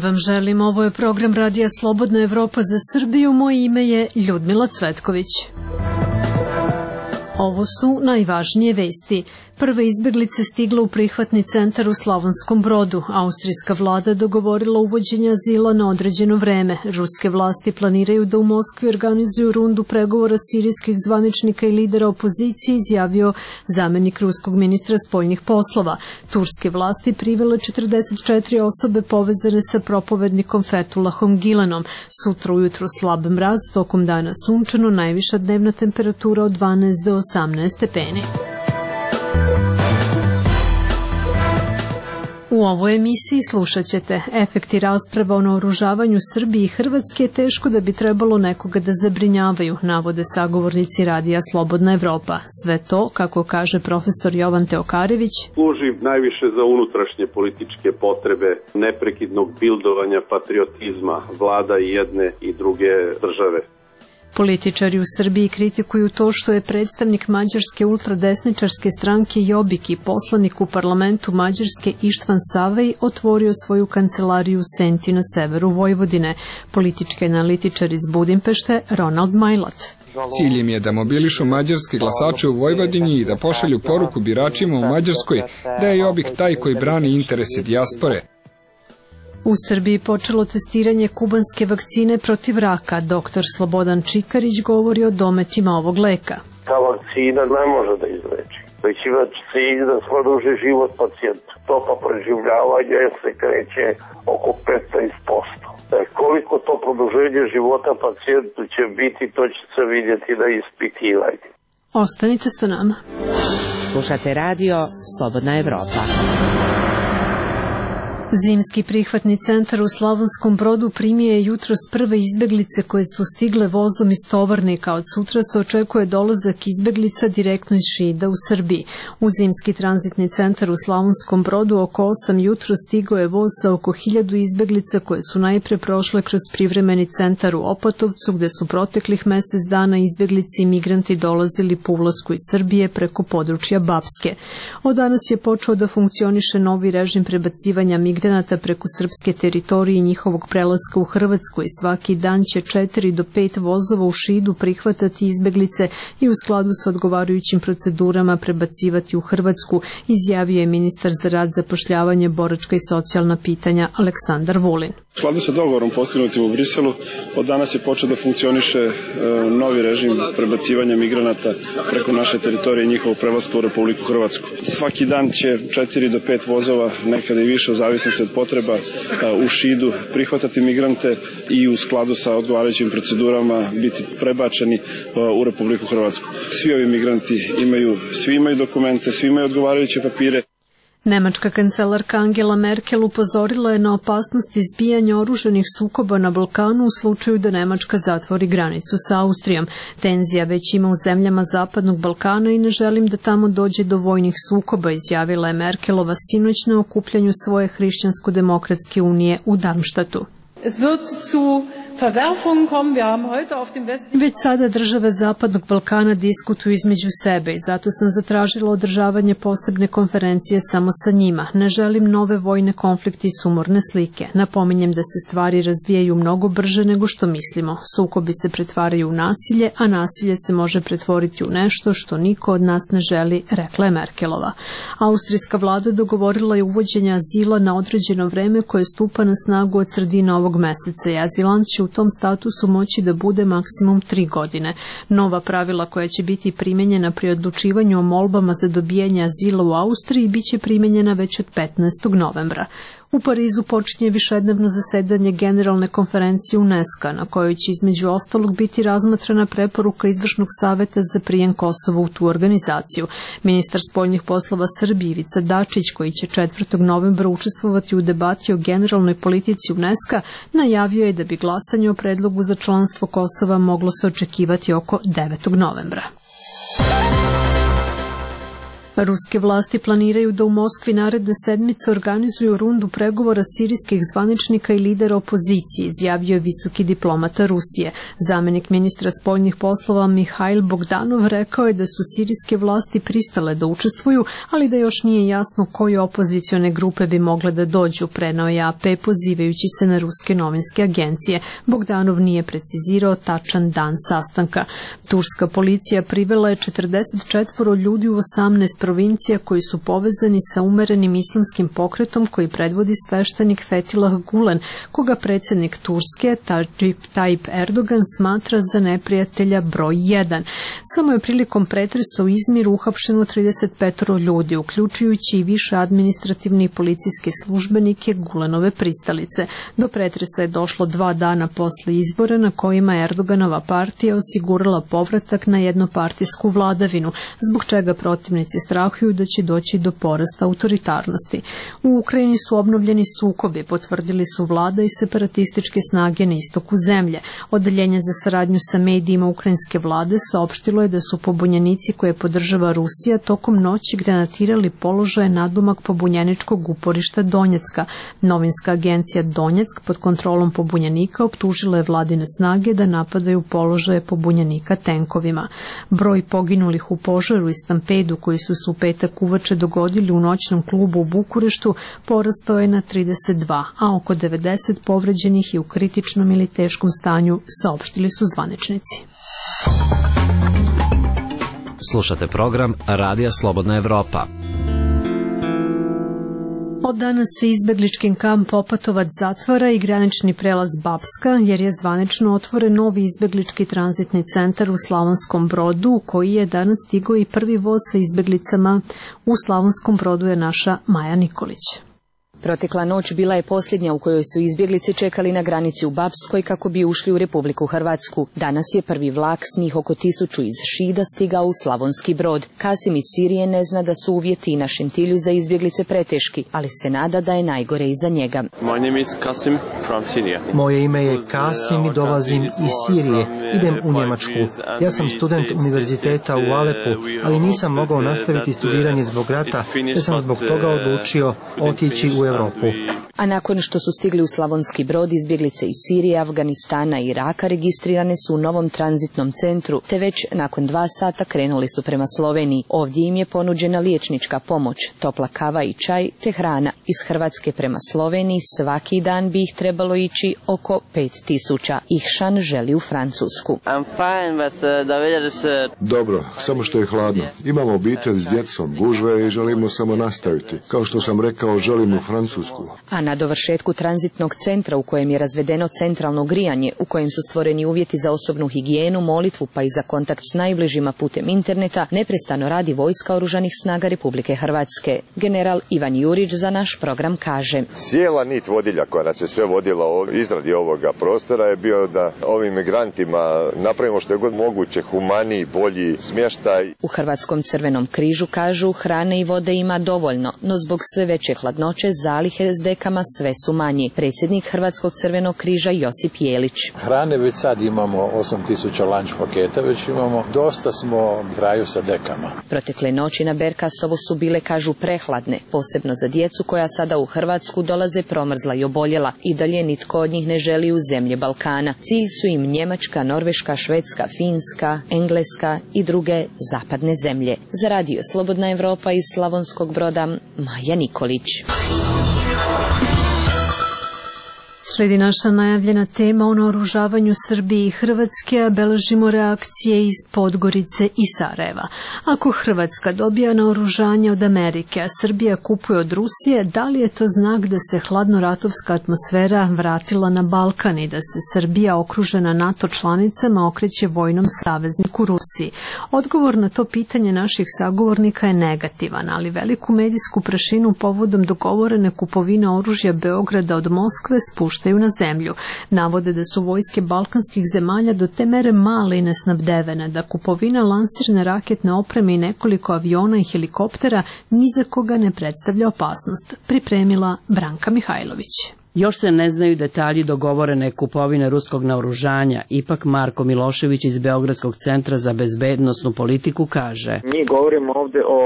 vam želim. Ovo je program Radija Slobodna Evropa za Srbiju. Moje ime je Ljudmila Cvetković. Ovo su najvažnije vesti. Prve izbeglice stigle u prihvatni centar u Slavonskom Brodu. Austrijska vlada dogovorila uvođenje azila na određeno vreme. Ruske vlasti planiraju da u Moskvi organizuju rundu pregovora sirijskih zvaničnika i lidera opozicije, izjavio zamenik ruskog ministra spoljnih poslova. Turske vlasti privele 44 osobe povezane sa propovednikom Fethullahom Gilenom. Sutra ujutro slab mraz, tokom dana sunčano, najviša dnevna temperatura od 12 do 18 stepeni. U ovoj emisiji slušat ćete: efekti rasprava o naoružavanju Srbije i Hrvatske je teško da bi trebalo nekoga da zabrinjavaju, navode sagovornici Radija Slobodna Evropa. Sve to, kako kaže profesor Jovan Teokarević, služi najviše za unutrašnje političke potrebe neprekidnog bildovanja patriotizma vlada i jedne i druge države. Političari u Srbiji kritikuju to što je predstavnik mađarske ultradesničarske stranke Jobbik i poslanik u parlamentu Mađarske Ištvan Savej otvorio svoju kancelariju u Senti na severu Vojvodine. Politički analitičar iz Budimpešte Ronald Majlat. Cilj im je da mobilišu mađarske glasače u Vojvodini i da pošalju poruku biračima u Mađarskoj da je Jobbik taj koji brani interese dijaspore. U Srbiji počelo testiranje kubanske vakcine protiv raka. Doktor Slobodan Čikarić govori o dometima ovog leka. Ta vakcina ne može da izleči, već ima cilj da produži život pacijentu. Stopa preživljavanja se kreće oko 15%. Koliko to produženje života pacijentu će biti, to će se vidjeti na ispitivanju. Ostanite sa nama. Slušate radio Slobodna Evropa. Zimski prihvatni centar u Slavonskom Brodu primio je jutros prve izbeglice koje su stigle vozom iz Tovarnika. Od sutra se očekuje dolazak izbeglica direktno iz Šida u Srbiji. U Zimski tranzitni centar u Slavonskom Brodu oko 8 jutro stigao je voz sa oko 1000 izbeglica koje su najpre prošle kroz privremeni centar u Opatovcu, gde su proteklih mesec dana izbeglici i migranti dolazili po ulasku iz Srbije preko područja Bapske. Od danas je počeo da funkcioniše novi režim prebacivanja migranata preko srpske teritorije i njihovog prelaska u Hrvatsku i svaki dan će 4 do 5 vozova u Šidu prihvatati izbeglice i u skladu sa odgovarajućim procedurama prebacivati u Hrvatsku, izjavio je ministar za rad, zapošljavanje, boračka i socijalna pitanja Aleksandar Vulin. U skladu sa dogovorom postignutim u Briselu, od danas je počeo da funkcioniše novi režim prebacivanja migranata preko naše teritorije i njihovog prelaska u Republiku Hrvatsku. Svaki dan će 4 do 5 vozova, nekada i više u zavisnosti od potreba, u Šidu prihvatati migrante i u skladu sa odgovarajućim procedurama biti prebačeni u Republiku Hrvatsku. Svi ovi migranti svi imaju dokumente, svi imaju odgovarajuće papire. Nemačka kancelarka Angela Merkel upozorila je na opasnost izbijanja oružanih sukoba na Balkanu u slučaju da Nemačka zatvori granicu sa Austrijom. Tenzija već ima u zemljama Zapadnog Balkana i ne želim da tamo dođe do vojnih sukoba, izjavila je Merkelova sinoć na okupljanju svoje Hrišćansko-demokratske unije u Darmstadtu. Već sada države Zapadnog Balkana diskutuju između sebe i zato sam zatražila održavanje posebne konferencije samo sa njima. Ne želim nove vojne konflikte i sumorne slike. Napominjem da se stvari razvijaju mnogo brže nego što mislimo. Sukobi se pretvaraju u nasilje, a nasilje se može pretvoriti u nešto što niko od nas ne želi, rekla je Merkelova. Austrijska vlada dogovorila je uvođenje azila na određeno vreme koje stupa na snagu od sredine ovog meseca i azilant će u tom statusu moći da bude maksimum 3 godine. Nova pravila koja će biti primenjena pri odlučivanju o molbama za dobijanje azila u Austriji biće primenjena već od 15. novembra. U Parizu počinje višednevno zasedanje Generalne konferencije UNESCO, na kojoj će između ostalog biti razmatrana preporuka Izvršnog saveta za prijem Kosova u tu organizaciju. Ministar spoljnih poslova Srbije Ivica Dačić, koji će 4. novembra učestvovati u debati o generalnoj politici UNESCO, najavio je da bi glasanje o predlogu za članstvo Kosova moglo se očekivati oko 9. novembra. Ruske vlasti planiraju da u Moskvi naredne sedmice organizuju rundu pregovora sirijskih zvaničnika i lidera opozicije, izjavio je visoki diplomata Rusije. Zamenik ministra spoljnih poslova Mihajl Bogdanov rekao je da su sirijske vlasti pristale da učestvuju, ali da još nije jasno koje opozicione grupe bi mogle da dođu, preneo je AP pozivajući se na ruske novinske agencije. Bogdanov nije precizirao tačan dan sastanka. Turska policija privela je 44 ljudi u 18 provincija koji su povezani sa umerenim islamskim pokretom koji predvodi sveštenik Fethullah Gulen, koga predsjednik Turske Recep Tayyip Erdogan smatra za neprijatelja broj 1. Samo je prilikom pretresa u Izmiru uhapšeno 35 ljudi, uključujući i više administrativne i policijske službenike Gulenove pristalice. Do pretresa je došlo 2 dana posle izbora na kojima je Erdoganova partija osigurala povratak na jednopartijsku vladavinu, zbog čega protivnici strahuju da će doći do porasta autoritarnosti. U Ukrajini su obnovljeni sukobi, potvrdili su vlada i separatističke snage na istoku zemlje. Odeljenje za saradnju sa medijima ukrajinske vlade saopštilo je da su pobunjenici koje podržava Rusija tokom noći granatirali položaje nadomak pobunjeničkog uporišta Donjecka. Novinska agencija Donjeck pod kontrolom pobunjenika optužila je vladine snage da napadaju položaje pobunjenika tenkovima. Broj poginulih u požaru i stampedu koji su se u petak uveče dogodili u noćnom klubu u Bukureštu porastao je na 32, a oko 90 povređenih je u kritičnom ili teškom stanju, saopštili su zvaničnici. Slušate program Radija Slobodna Evropa. Od danas se izbeglički kamp Opatovac zatvara i granični prelaz Bapska, jer je zvanično otvoren novi izbeglički tranzitni centar u Slavonskom Brodu, u koji je danas stigao i prvi voz sa izbeglicama. U Slavonskom Brodu je naša Maja Nikolić. Protekla noć bila je posljednja u kojoj su izbjeglice čekali na granici u Bapskoj kako bi ušli u Republiku Hrvatsku. Danas je prvi vlak s njih oko 1000 iz Šida stigao u Slavonski Brod. Kasim iz Sirije ne zna da su uvjeti i na Šentilju za izbjeglice preteški, ali se nada da je najgore iza njega. Moje ime je Kasim i dolazim iz Sirije. Idem u Njemačku. Ja sam student univerziteta u Alepu, ali nisam mogao nastaviti studiranje zbog rata, te sam zbog toga odlučio otići u Europu. A nakon što su stigli u Slavonski Brod, izbjeglice iz Sirije, Afganistana i Iraka registrirane su u novom tranzitnom centru, te već nakon 2 sata krenuli su prema Sloveniji. Ovdje im je ponuđena liječnička pomoć, topla kava i čaj, te hrana. Iz Hrvatske prema Sloveniji svaki dan bi ih trebalo ići oko 5000. Ihšan želi u Francusku. Dobro, samo što je hladno. Imamo obitelj s djecom, gužve i želimo samo nastaviti. Kao što sam rekao, želimo u Francusku. A na dovršetku tranzitnog centra u kojem je razvedeno centralno grijanje, u kojem su stvoreni uvjeti za osobnu higijenu, molitvu pa i za kontakt s najbližima putem interneta, neprestano radi vojska Oružanih snaga Republike Hrvatske. General Ivan Jurić za naš program kaže: Cijela nit vodilja koja nas je sve vodila o izradi ovoga prostora je bio da ovim migrantima napravimo što je god moguće humaniji, bolji smještaj. U Hrvatskom crvenom križu kažu hrane i vode ima dovoljno, no zbog sve veće hladnoće zalihe s dekama sve su manji. Predsjednik Hrvatskog crvenog križa Josip Jelić. Hrane već sad imamo 8000 lanč paketa, već imamo, dosta smo kraju sa dekama. Protekle noći na Berkasovo su bile, kažu, prehladne, posebno za djecu koja sada u Hrvatsku dolaze promrzla i oboljela. I dalje nitko od njih ne želi u zemlje Balkana. Cilj su im Njemačka, Norveška, Švedska, Finska, Engleska i druge zapadne zemlje. Za Radio Slobodna Evropa iz Slavonskog Broda, Maja Nikolić. Slijedi naša najavljena tema o naoružavanju Srbije i Hrvatske, a beležimo reakcije iz Podgorice i Sarajeva. Ako Hrvatska dobija naoružanje od Amerike, a Srbija kupuje od Rusije, da li je to znak da se hladnoratovska atmosfera vratila na Balkan i da se Srbija okružena NATO članicama okreće vojnom savezniku Rusiji? Odgovor na to pitanje naših sagovornika je negativan, ali veliku medijsku prašinu povodom dogovorene kupovine oružja Beograda od Moskve spušta na zemlju. Navode da su vojske balkanskih zemalja do te mere male i nesnabdevene, da kupovina lansirne raketne opreme i nekoliko aviona i helikoptera ni za koga ne predstavlja opasnost. Pripremila Branka Mihajlović. Još se ne znaju detalji dogovorene kupovine ruskog naoružanja, ipak Marko Milošević iz Beogradskog centra za bezbednosnu politiku kaže: Mi govorimo ovde o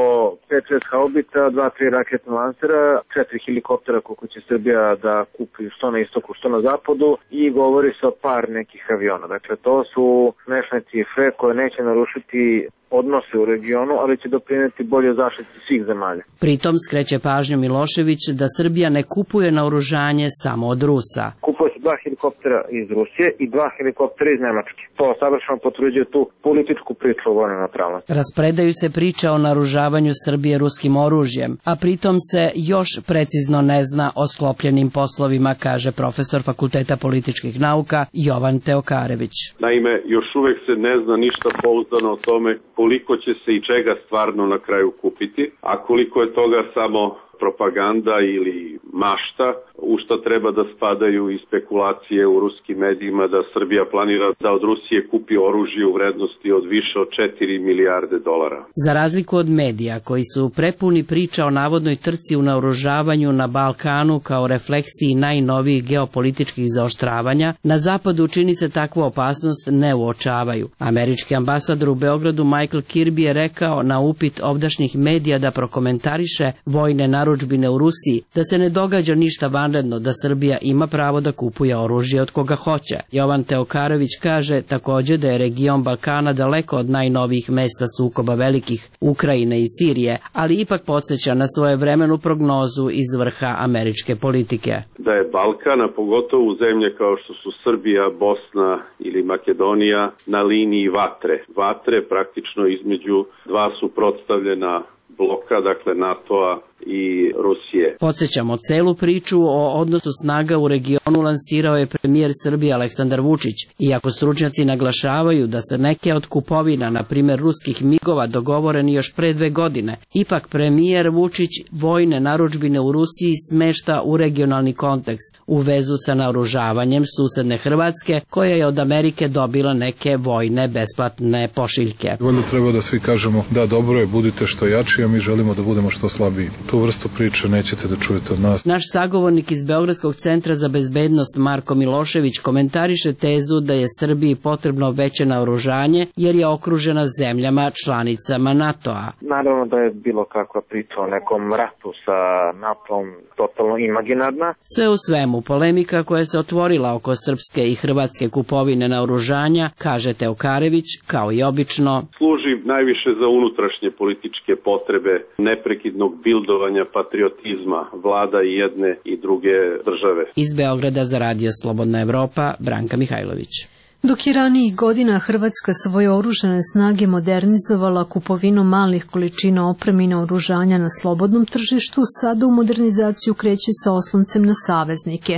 5-6 haubica, 2-3 raketna lansera, 4 helikoptera koliko će Srbija da kupi što na istoku, što na zapadu i govori se o par nekih aviona. Dakle, to su smešne cifre koje neće narušiti odnose u regionu, ali će doprineti bolje zaštiti svih zemalja. Pritom skreće pažnju Milošević da Srbija ne kupuje naoružanje samo od Rusa. Kupuje se 2 helikoptera iz Rusije i 2 helikoptera iz Nemačke. To savršeno potvrđuje tu političku priču o vojnoj neutralnosti. Raspredaju se priča o naoružavanju Srbije ruskim oružjem, a pritom se još precizno ne zna o sklopljenim poslovima, kaže profesor Fakulteta političkih nauka Jovan Teokarević. Naime, još uvek se ne zna ništa pouzdano o tome koliko će se i čega stvarno na kraju kupiti, a koliko je toga samo propaganda ili mašta, u što treba da spadaju i spekulacije u ruskim medijima da Srbija planira da od Rusije kupi oružje u vrednosti od više od 4 milijarde dolara. Za razliku od medija koji su prepuni priča o navodnoj trci u naoružavanju na Balkanu kao refleksiji najnovijih geopolitičkih zaoštravanja, na zapadu čini se takvu opasnost ne uočavaju. Američki ambasador u Beogradu Michael Kirby je rekao na upit ovdašnjih medija da prokomentariše vojne narudžbine u Rusiji, da se ne događa ništa vanredno, da Srbija ima pravo da kupuje oružje od koga hoće. Jovan Teokarević kaže takođe da je region Balkana daleko od najnovijih mesta sukoba velikih Ukrajine i Sirije, ali ipak podsjeća na svojevremenu prognozu iz vrha američke politike. Da je Balkan, a pogotovo u zemlje kao što su Srbija, Bosna ili Makedonija, na liniji vatre. Vatre praktično između dva suprotstavljena bloka, dakle NATO-a i Rusije. Podsjećamo, celu priču o odnosu snaga u regionu lansirao je premijer Srbije Aleksandar Vučić. Iako stručnjaci naglašavaju da se neke od kupovina, na primjer ruskih migova, dogovoreni još pre 2 godine, ipak premijer Vučić vojne narudžbine u Rusiji smešta u regionalni kontekst u vezu sa naoružavanjem susedne Hrvatske, koja je od Amerike dobila neke vojne besplatne pošiljke. Valjda treba da svi kažemo da dobro je, budite što jači, a mi želimo da budemo što slabiji. Tu vrstu priče nećete da čujete od nas. Naš sagovornik iz Beogradskog centra za bezbednost Marko Milošević komentariše tezu da je Srbiji potrebno veće naoružanje jer je okružena zemljama članicama NATO-a. Naravno da je bilo kakva priča o nekom ratu sa NATO-om totalno imaginarna. Sve u svemu, polemika koja se otvorila oko srpske i hrvatske kupovine naoružanja, kaže Teokarević, kao i obično, služi najviše za unutrašnje političke potrebe neprekidnog bildovanja patriotizma vlada i jedne i druge države. Iz Beograda za Radio Slobodna Evropa, Branka Mihajlović. Dok je ranijih godina Hrvatska svoje oružane snage modernizovala kupovinom malih količina opreme i naoružanja na slobodnom tržištu, sada u modernizaciju kreće sa osloncem na saveznike.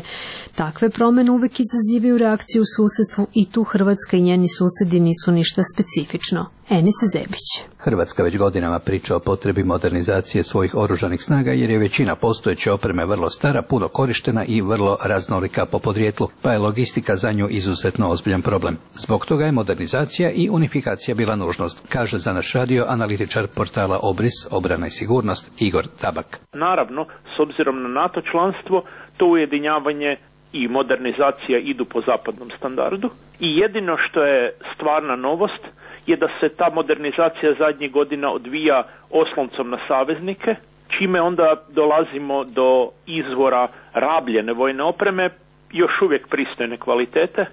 Takve promene uvek izazivaju reakciju u susedstvu i tu Hrvatska i njeni susedi nisu ništa specifično. Enis Zebić. Hrvatska već godinama priča o potrebi modernizacije svojih oružanih snaga jer je većina postojeće opreme vrlo stara, puno korištena i vrlo raznolika po podrijetlu, pa je logistika za nju izuzetno ozbiljan problem. Zbog toga je modernizacija i unifikacija bila nužnost, kaže za naš radio analitičar portala Obris, obrana i sigurnost Igor Tabak. Naravno, s obzirom na NATO članstvo, to ujedinjavanje i modernizacija idu po zapadnom standardu i jedino što je stvarna novost je da se ta modernizacija zadnjih godina odvija osloncom na saveznike, čime onda dolazimo do izvora rabljene vojne opreme, još uvijek pristojne kvalitete,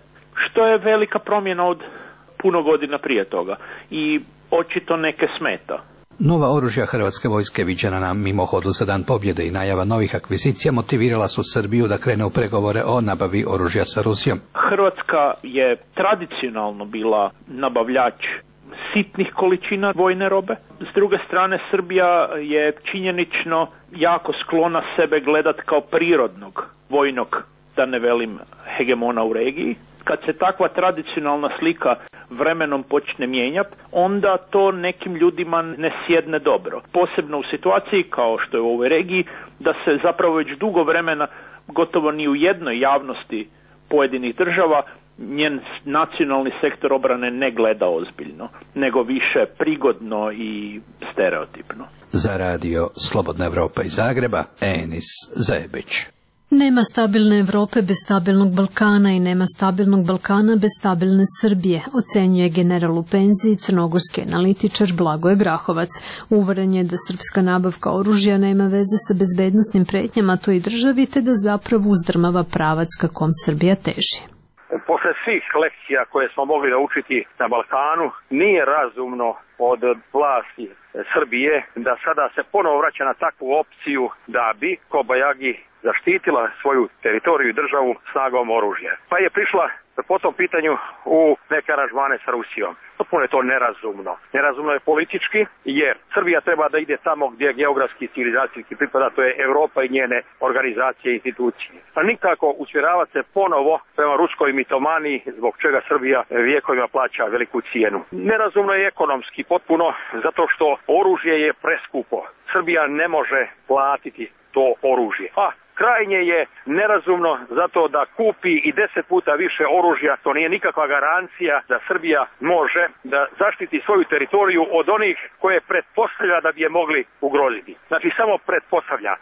što je velika promjena od puno godina prije toga i očito neke smeta. Nova oružja Hrvatske vojske viđena na mimohodu za Dan pobjede i najava novih akvizicija motivirala su Srbiju da krene u pregovore o nabavi oružja sa Rusijom. Hrvatska je tradicionalno bila nabavljač sitnih količina vojne robe. S druge strane, Srbija je činjenično jako sklona sebe gledati kao prirodnog vojnog, da ne velim hegemona u regiji. Kad se takva tradicionalna slika vremenom počne mijenjati, onda to nekim ljudima ne sjedne dobro. Posebno u situaciji kao što je u ovoj regiji, da se zapravo već dugo vremena gotovo ni u jednoj javnosti pojedinih država njen nacionalni sektor obrane ne gleda ozbiljno, nego više prigodno i stereotipno. Za radio Slobodna Evropa iz Zagreba, Enis Zebić. Nema stabilne Evrope bez stabilnog Balkana i nema stabilnog Balkana bez stabilne Srbije, ocenjuje general u penziji crnogorski analitičar Blagoje Grahovac. Uveren je da srpska nabavka oružja nema veze sa bezbednosnim pretnjama toj državi, te da zapravo uzdrmava pravac ka kom Srbija teži. Posle svih lekcija koje smo mogli naučiti na Balkanu, nije razumno od vlasti Srbije da sada se ponovo vraća na takvu opciju da bi Kobajagi zaštitila svoju teritoriju i državu snagom oružja. Pa je prišla po tom pitanju u neke aranžmane sa Rusijom. Potpuno je to nerazumno. Nerazumno je politički, jer Srbija treba da ide tamo gdje geografski i civilizacijski pripada, to je Evropa i njene organizacije i institucije. A nikako usmjeravati se ponovo prema ruskoj mitomaniji, zbog čega Srbija vijekovima plaća veliku cijenu. Nerazumno je ekonomski potpuno, zato što oružje je preskupo. Srbija ne može platiti to oružje. Krajnje je nerazumno zato da kupi i 10 puta više oružja, to nije nikakva garancija da Srbija može da zaštiti svoju teritoriju od onih koje pretpostavlja da bi je mogli ugroziti. Znači samo pretpostavlja.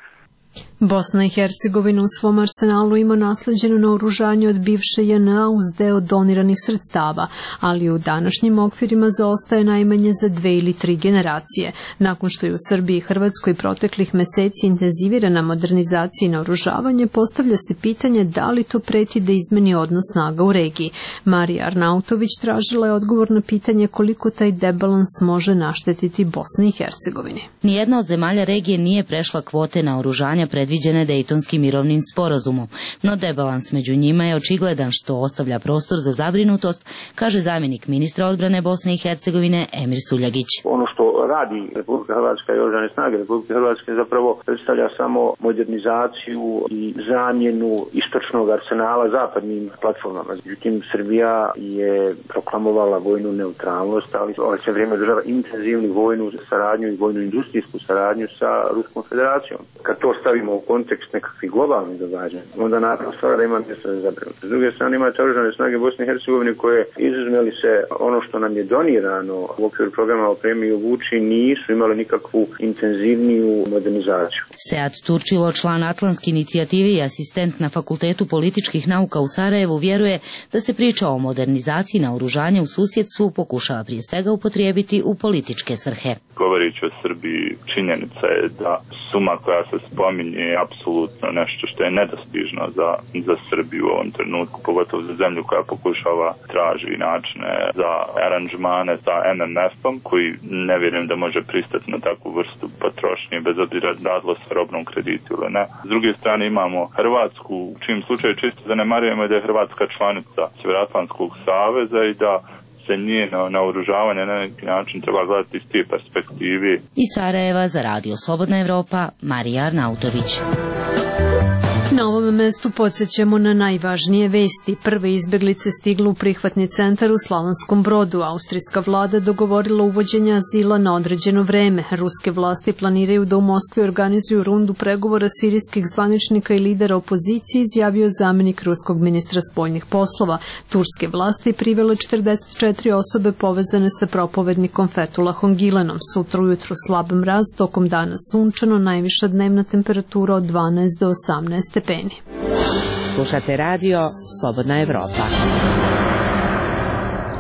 Bosna i Hercegovina u svom arsenalu ima nasleđeno naoružanje od bivše JNA uz deo doniranih sredstava, ali u današnjim okvirima zaostaje najmanje za 2 ili 3 generacije. Nakon što je u Srbiji i Hrvatskoj proteklih meseci intenzivirana modernizacija i naoružavanje, postavlja se pitanje da li to preti da izmeni odnos snaga u regiji. Marija Arnautović tražila je odgovor na pitanje koliko taj debalans može naštetiti Bosni i Hercegovini. Nijedna od zemalja regije nije prešla kvote naoružanja predviđene Dejtonskim mirovnim sporazumom, no debalans među njima je očigledan, što ostavlja prostor za zabrinutost, kaže zamjenik ministra odbrane Bosne i Hercegovine Emir Suljagić. Ono što radi Republika Hrvatska i oružane snage Republike Hrvatske zapravo predstavlja samo modernizaciju i zamjenu istočnog arsenala zapadnim platformama. Međutim, Srbija je proklamovala vojnu neutralnost, ali ove se vrijeme država intenzivnu vojnu saradnju i vojnu industrijsku saradnju sa Ruskom federacijom. Kad to stavimo u kontekst nekakvih globalnih događanja, onda naravno stvar da ima mjesto za zabrinutost. S druge strane imate oružane snage Bosne i Hercegovine koje, izuzmeli se ono što nam je donirano u okviru programa Opremi i obuči, nisu imali nikakvu intenzivniju modernizaciju. Sead Turčilo, član Atlantske inicijative i asistent na Fakultetu političkih nauka u Sarajevu, vjeruje da se priča o modernizaciji naoružanja u susjedstvu pokušava prije svega upotrijebiti u političke svrhe. Govoreći o Srbiji, činjenica je da suma koja se spominje je apsolutno nešto što je nedostižno za Srbiju u ovom trenutku, pogotovo za zemlju koja pokušava traži načine za aranžmane sa MMF-om, koji ne vjerujem da može pristati na takvu vrstu potrošnje, bez obzira radilo se robnom kreditu ili ne. S druge strane imamo Hrvatsku, u čim slučaju čisto zanemarujemo da je Hrvatska članica Sjevernoatlantskog saveza i da se njeno naoružavanje na neki način treba gledati iz te perspektive. Iz Sarajeva za Radio Slobodna Evropa, Marija Arnautović. Na ovom mestu podsjećamo na najvažnije vesti. Prve izbjeglice stigle u prihvatni centar u Slavonskom Brodu. Austrijska vlada dogovorila uvođenje azila na određeno vreme. Ruske vlasti planiraju da u Moskvi organizuju rundu pregovora sirijskih zvaničnika i lidera opozicije, izjavio zamjenik ruskog ministra spoljnih poslova. Turske vlasti privele 44 osobe povezane sa propovednikom Fethullahom Gülenom. Sutra ujutru slab mraz, tokom dana sunčano, najviša dnevna temperatura od 12 do 18 stepeni. Slušate radio Slobodna Evropa.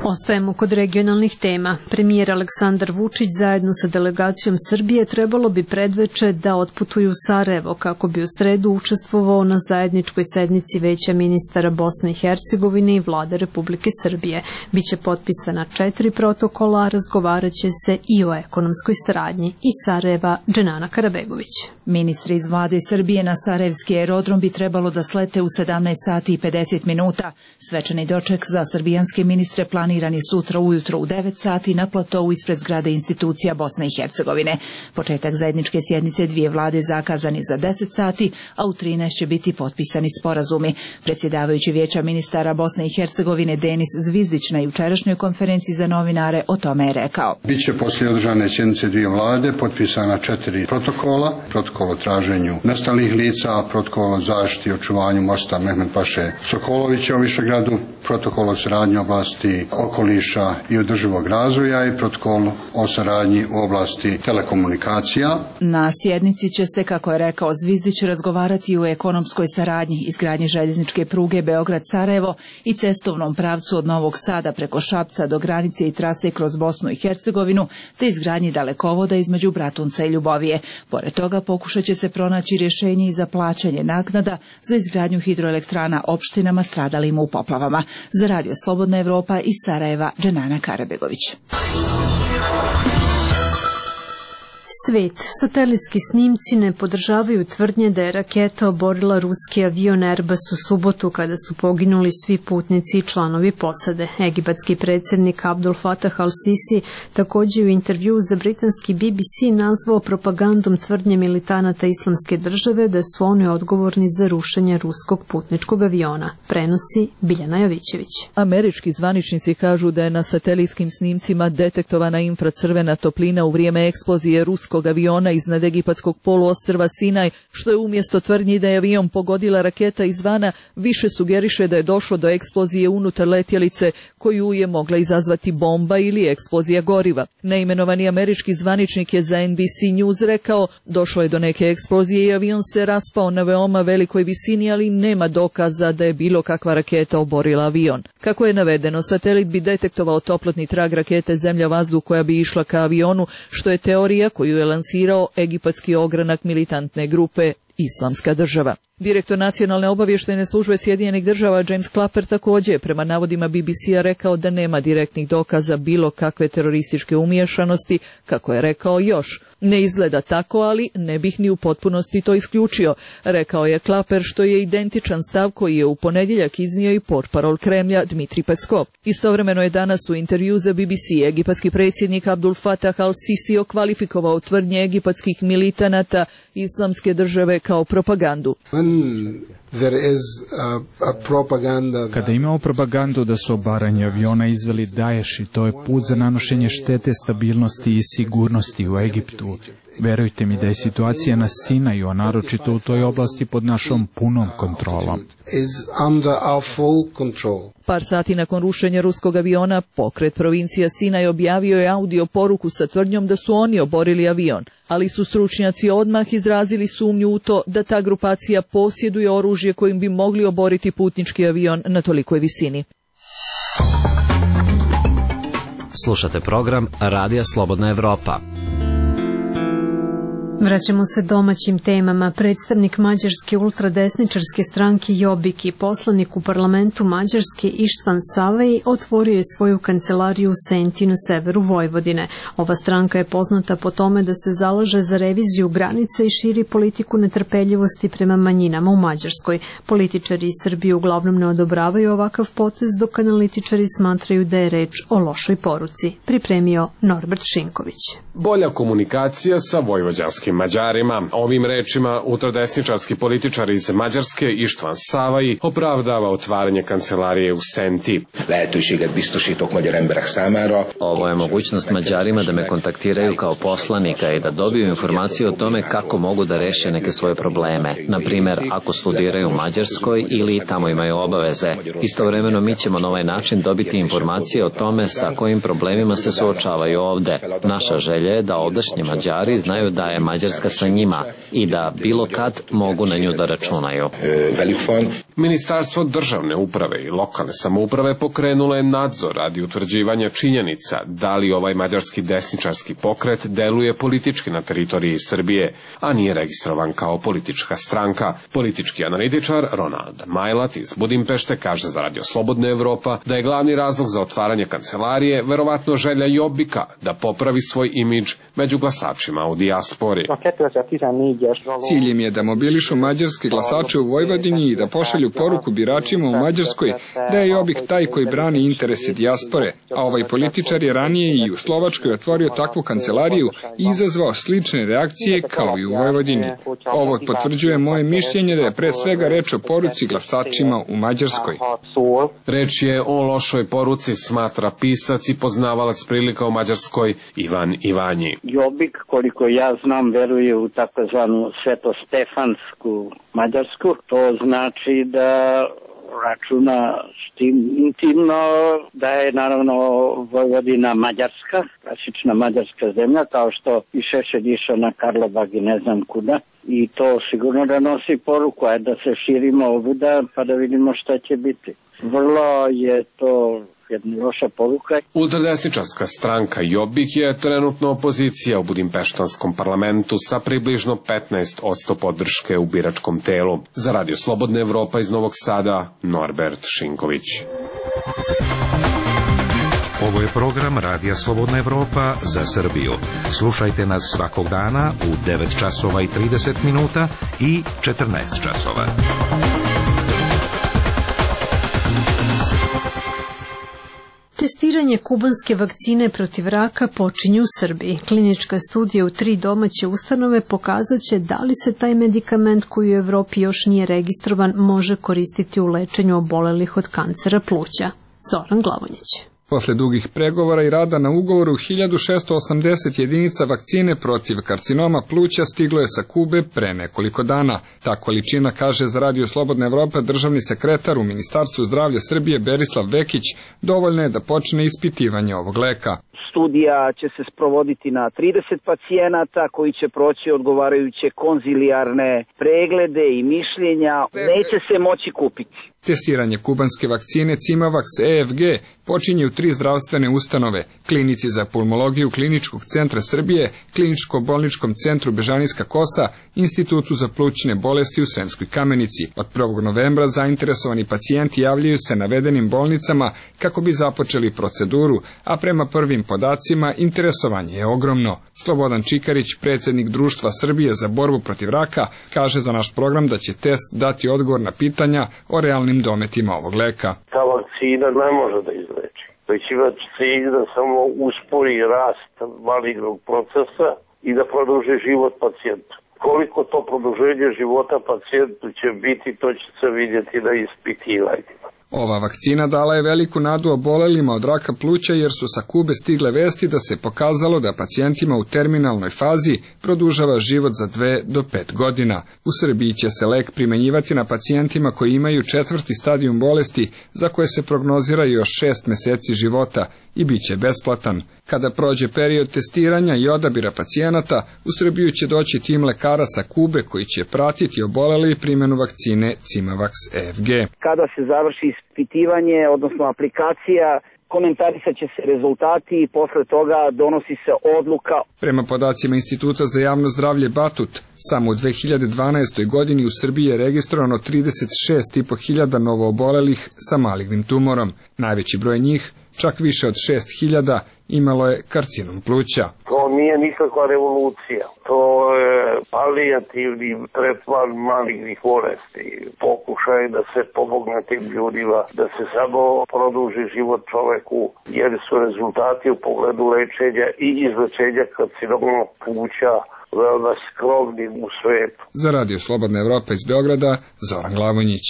Ostajemo kod regionalnih tema. Premijer Aleksandar Vučić zajedno sa delegacijom Srbije trebalo bi predveče da otputuju u Sarajevo kako bi u sredu učestvovao na zajedničkoj sednici Veća ministara Bosne i Hercegovine i Vlade Republike Srbije. Biće potpisana 4 protokola, razgovaraće se i o ekonomskoj saradnji. Iz Sarajeva, Dženana Karabegović. Ministri iz vlade Srbije na Sarajevski aerodrom bi trebalo da slete u 17 sati i 50 minuta. Svečani doček za srbijanske ministre planirani sutra ujutro u 9 sati na platovu ispred zgrade institucija Bosne i Hercegovine. Početak zajedničke sjednice dvije vlade zakazani za 10 sati, a u 13 će biti potpisani sporazumi. Predsjedavajući Vijeća ministara Bosne i Hercegovine Denis Zvizdić na jučerašnjoj konferenciji za novinare o tome je rekao. Biće poslije održane sjednice dvije vlade potpisana 4 protokola. Protokol o traženju nestalih lica, protokol o zaštiti i očuvanju mosta Mehmed Paše Sokolovića u Višegradu, protokol o saradnji oblasti okoliša i održivog razvoja i protokol o saradnji u oblasti telekomunikacija. Na sjednici će se, kako je rekao Zvizdić, razgovarati o ekonomskoj saradnji, izgradnji željezničke pruge Beograd-Sarajevo i cestovnom pravcu od Novog Sada preko Šapca do granice i trase kroz Bosnu i Hercegovinu, te izgradnji dalekovoda između Bratunca i Ljubovije. Pored toga pokušat će se pronaći rješenje i za plaćanje naknada za izgradnju hidroelektrana opštinama stradalim u poplavama. Za Radio Slobodna Evropa iz Sarajeva, Dženana Karabegović. Svet. Satelitski snimci ne podržavaju tvrdnje da je raketa oborila ruski avion Airbus u subotu kada su poginuli svi putnici i članovi posade. Egipatski predsjednik Abdul Fatah al-Sisi također u intervju za britanski BBC nazvao propagandom tvrdnje militanata Islamske države da su oni odgovorni za rušenje ruskog putničkog aviona. Prenosi Biljana Jovićević. Američki zvaničnici kažu da je na satelitskim snimcima detektovana infracrvena toplina u vrijeme eksplozije ruskog aviona iznad egipatskog poluostrva Sinaj, što je umjesto tvrdnji da je avion pogodila raketa izvana, više sugeriše da je došlo do eksplozije unutar letjelice koju je mogla izazvati bomba ili eksplozija goriva. Neimenovani američki zvaničnik je za NBC News rekao: došlo je do neke eksplozije i avion se raspao na veoma velikoj visini, ali nema dokaza da je bilo kakva raketa oborila avion. Kako je navedeno, satelit bi detektovao toplotni trag rakete zemlja-vazduh koja bi išla ka avionu, što je teorija koju je lansirao egipatski ogranak militantne grupe Islamska država. Direktor nacionalne obavještajne službe Sjedinjenih država James Clapper također je prema navodima BBC-a rekao da nema direktnih dokaza bilo kakve terorističke umiješanosti, kako je rekao još. Ne izgleda tako, ali ne bih ni u potpunosti to isključio, rekao je Clapper, što je identičan stav koji je u ponedjeljak iznio i portparol Kremlja Dmitri Peskov. Istovremeno je danas u intervju za BBC egipatski predsjednik Abdul Fatah al-Sisi okvalifikovao tvrdnje egipatskih militanata Islamske države kao propagandu. Kada imamo propagandu da su obaranje aviona izveli Daesh i to je put za nanošenje štete stabilnosti i sigurnosti u Egiptu, verujte mi da je situacija na Sinaju, a naročito u toj oblasti, pod našom punom kontrolom. Par sati nakon rušenja ruskog aviona, pokret provincija Sinaj objavio je audio poruku sa tvrdnjom da su oni oborili avion, ali su stručnjaci odmah izrazili sumnju u to da ta grupacija posjeduje oružje kojim bi mogli oboriti putnički avion na tolikoj visini. Slušate program Radija Slobodna Evropa. Vraćamo se domaćim temama. Predstavnik mađarske ultradesničarske stranke Jobbik i poslanik u parlamentu Mađarske Ištvan Savej otvorio je svoju kancelariju u Senti na severu Vojvodine. Ova stranka je poznata po tome da se zalaže za reviziju granica i širi politiku netrpeljivosti prema manjinama u Mađarskoj. Političari iz Srbije uglavnom ne odobravaju ovakav potez, dok analitičari smatraju da je reč o lošoj poruci. Pripremio Norbert Šinković. Bolja komunikacija sa vojvođanskim Mađarima. Ovim rečima ultradesničarski političar iz Mađarske Ištvan Savai opravdava otvaranje kancelarije u Senti. Ovo je mogućnost Mađarima da me kontaktiraju kao poslanika i da dobiju informaciju o tome kako mogu da reše neke svoje probleme. Na primjer, ako studiraju u Mađarskoj ili tamo imaju obaveze. Istovremeno mi ćemo na ovaj način dobiti informacije o tome sa kojim problemima se suočavaju ovde. Naša želja je da ovdašnji Mađari znaju da je Mađarska sa njima i da bilo kad mogu na nju da računaju. Ministarstvo državne uprave i lokalne samouprave pokrenulo je nadzor radi utvrđivanja činjenica da li ovaj mađarski desničarski pokret deluje politički na teritoriji Srbije, a nije registrovan kao politička stranka. Politički analitičar Ronald Majlat iz Budimpešte kaže za Radio Slobodna Evropa da je glavni razlog za otvaranje kancelarije verovatno želja Jobbika da popravi svoj imidž među glasačima u dijaspori. Cilj im je da mobilišu mađarske glasače u Vojvodini i da pošalju poruku biračima u Mađarskoj da je Jobbik taj koji brani interese dijaspore, a ovaj političar je ranije i u Slovačkoj otvorio takvu kancelariju i izazvao slične reakcije kao i u Vojvodini. Ovo potvrđuje moje mišljenje da je pre svega reč o poruci glasačima u Mađarskoj. Reč je o lošoj poruci, smatra pisac i poznavalac prilika u Mađarskoj Ivan Ivanji. Jobbik, koliko ja znam, veruje u takozvanu svetostefansku Mađarsku. To znači da računa s tim intimno da je naravno Vojvodina Mađarska, klasična mađarska zemlja, kao što i Šešelj išao na Karlobag i ne znam kuda. I to sigurno da nosi poruku, da se širimo ovuda pa da vidimo šta će biti. Vrlo je to jedna loša poruka. Ultradesničarska stranka Jobbik je trenutno opozicija u budimpeštanskom parlamentu sa približno 15% podrške u biračkom telu. Za Radio Slobodna Evropa iz Novog Sada, Norbert Šinković. Ovo je program Radija Slobodna Evropa za Srbiju. Slušajte nas svakog dana u 9 časova i 30 minuta i 14 časova. Testiranje kubanske vakcine protiv raka počinje u Srbiji. Klinička studija u 3 domaće ustanove pokazat će da li se taj medikament koji u Evropi još nije registrovan može koristiti u lečenju obolelih od kancera pluća. Zoran Glavonjić. Posle dugih pregovora i rada na ugovoru, 1680 jedinica vakcine protiv karcinoma pluća stiglo je sa Kube pre nekoliko dana. Ta količina, kaže za Radio Slobodna Evropa državni sekretar u Ministarstvu zdravlja Srbije Berislav Vekić, dovoljno je da počne ispitivanje ovog leka. Studija će se sprovoditi na 30 pacijenata koji će proći odgovarajuće konzilijarne preglede i mišljenja. Neće se moći kupiti. Testiranje kubanske vakcine Cimavax EFG počinje u 3 zdravstvene ustanove, klinici za pulmologiju Kliničkog centra Srbije, Kliničko-bolničkom centru Bežanijska Kosa, Institutu za plućne bolesti u Sremskoj Kamenici. Od 1. novembra zainteresovani pacijenti javljaju se navedenim bolnicama kako bi započeli proceduru, a prema prvim podacima interesovanje je ogromno. Slobodan Čikarić, predsjednik Društva Srbije za borbu protiv raka, kaže za naš program da će test dati odgovor na pitanja o realnim dometima ovog leka. Ta vakcina ne može da izleči. Već ima cilj da samo uspori rast malignog procesa i da produži život pacijentu. Koliko to produženje života pacijentu će biti, to će se vidjeti na ispitivanjima. Ova vakcina dala je veliku nadu obolelima od raka pluća jer su sa Kube stigle vesti da se pokazalo da pacijentima u terminalnoj fazi produžava život za 2 do 5 godina. U Srbiji će se lek primenjivati na pacijentima koji imaju 4. stadijum bolesti za koje se prognozira još 6 meseci života i bit će besplatan. Kada prođe period testiranja i odabira pacijenata, u Srbiju će doći tim lekara sa Kube koji će pratiti obolele i primjenu vakcine Cimavax EFG. Kada se završi ispitivanje, odnosno aplikacija, komentarisat će se rezultati i posle toga donosi se odluka. Prema podacima Instituta za javno zdravlje Batut, samo u 2012. godini u Srbiji je registrovano 36.500 novoobolelih sa malignim tumorom. Najveći broj njih, čak više od 6.000, imalo je karcinom pluća. To nije nikakva revolucija. To je palijativni tretman malignih bolesti. Pokušaj da se pomogne tim ljudima, da se samo produži život čoveku, jer su rezultati u pogledu lečenja i izlečenja karcinoma pluća veoma skromni u svetu. Za Radio Slobodna Evropa iz Beograda, Zoran Glavonjić.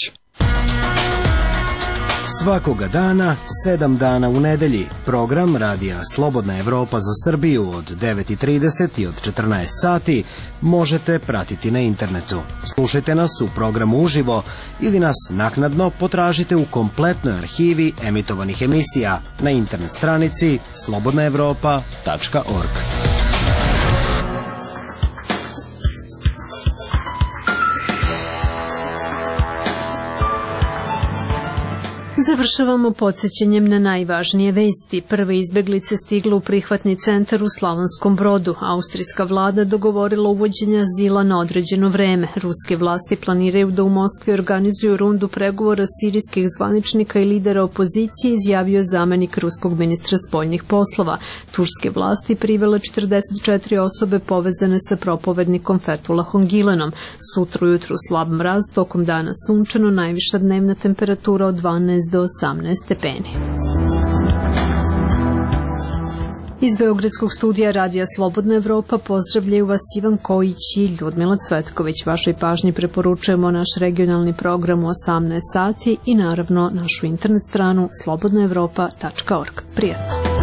Svakoga dana, 7 dana u nedelji, program Radija Slobodna Evropa za Srbiju od 9:30 i od 14 sati možete pratiti na internetu. Slušajte nas u programu uživo ili nas naknadno potražite u kompletnoj arhivi emitovanih emisija na internet stranici slobodnaevropa.org. Završavamo podsjećanjem na najvažnije vesti. Prve izbeglice stigle u prihvatni centar u Slavonskom Brodu. Austrijska vlada dogovorila uvođenje azila na određeno vreme. Ruske vlasti planiraju da u Moskvi organizuju rundu pregovora sirijskih zvaničnika i lidera opozicije, izjavio zamenik ruskog ministra spoljnih poslova. Turske vlasti privele 44 osobe povezane sa propovednikom Fethullahom Gülenom. Sutra ujutru slab mraz, tokom dana sunčano, najviša dnevna temperatura od 12 do 18 stepeni. Iz Beogradskog studija Radija Slobodna Evropa pozdravljaju vas Ivan Kojić i Ljudmila Cvetković. Vašoj pažnji preporučujemo naš regionalni program u 18 sati i naravno našu internet stranu slobodnaevropa.org. Prijetno!